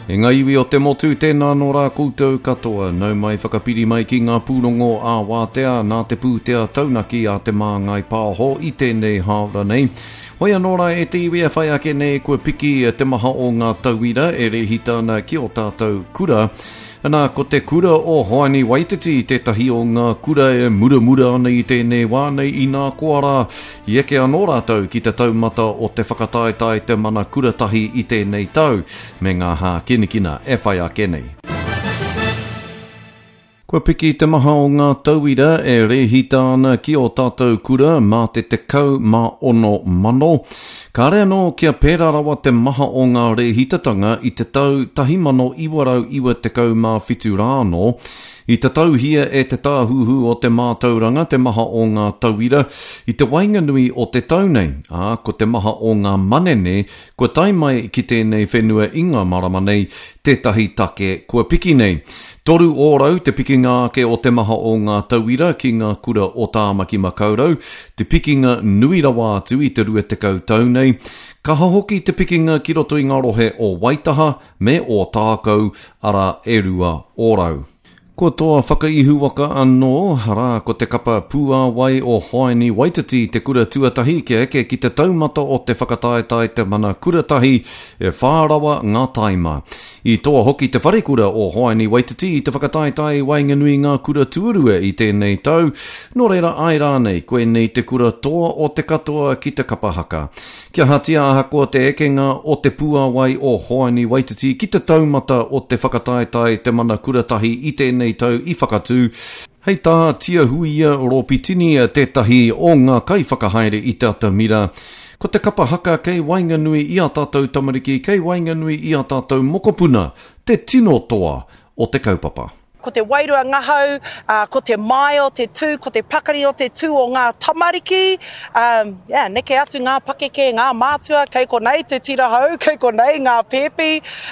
E ngā iwi o te motu, tēnā anō rā koutou katoa. Nau mai whakapiri mai ki ngā pūrongo ā-wātea nā te pūtea taunaki a Te Māngai Pāho i tēnei hāora nei. Hoi anō rā e te iwi e whai ake nei kua piki te maha o ngā tauira e rēhita ana ki ō tātou kura. Ana, ko te kura o Hoani Waititi tētahi o ngā kura e muramura ana i tēnei wā nei inā koa rā I eke anō rātou ki te taumata o te whakataetae Te Mana Kura Tahi i tēnei tau, me ngā hākinakina e whai ake nei. Kua piki te maha o ngā tauira e rēhita ana ki ō tātou kura mā te 16,000. Kāre anō kia pērā rawa te maha o ngā rēhitatanga i te tau 1997 rā anō. I tatauhia e Te Tāhuhu o te Mātauranga te maha o ngā tauira i te waenganui o te tau nei, ā, ko te maha o ngā manene kua tae mai ki tēnei whenua i ngā marama nei tētahi take kua piki nei. 3% te pikinga ake o te maha o ngā tauira ki ngā kura o Tāmaki Makaurau, te pikinga nui rawa atu i te 20 tau nei. Kaha hoki te pikinga ki roto i ngā rohe o Waitaha, me Ōtākou, arā, e 2%. Kua toa whakaihuwaka anō, arā, ko te kapa Pūāwai o Hoani Waititi te kura tuatahi kia eke ki te taumata o te whakataetae Te Mana Kura Tahi, e whā rawa ngā taima. I toa hoki te wharekura o Hoani Waititi i te whakataetae i waenganui i ngā kura tuarua i tēnei tau, nō reira āe rānei, koinei te kura toa o te katoa ki te kapa haka. Kia ahatia ahakoa te ekenga o te puāwai o Hoani Waititi ki te taumata o te whakataetae Te Mana Kura Tahi i tēnei tau i Whakatū, hei tā Tiahuia Ropitini tētahi o ngā kaiwhakahaere i te atamira, ko te kapa haka kei waenganui i ā tātou tamariki, kei waenganui i ā tātou mokopuna, te tino toa o te kaupapa. Ko te wairua ngahau, ko te māia o te tū, ko te pakari o te tū o ngā tamariki, yeah, neke atu ngā pakeke, ngā mātua, kei konei te tira hou, kei konei ngā pēpi.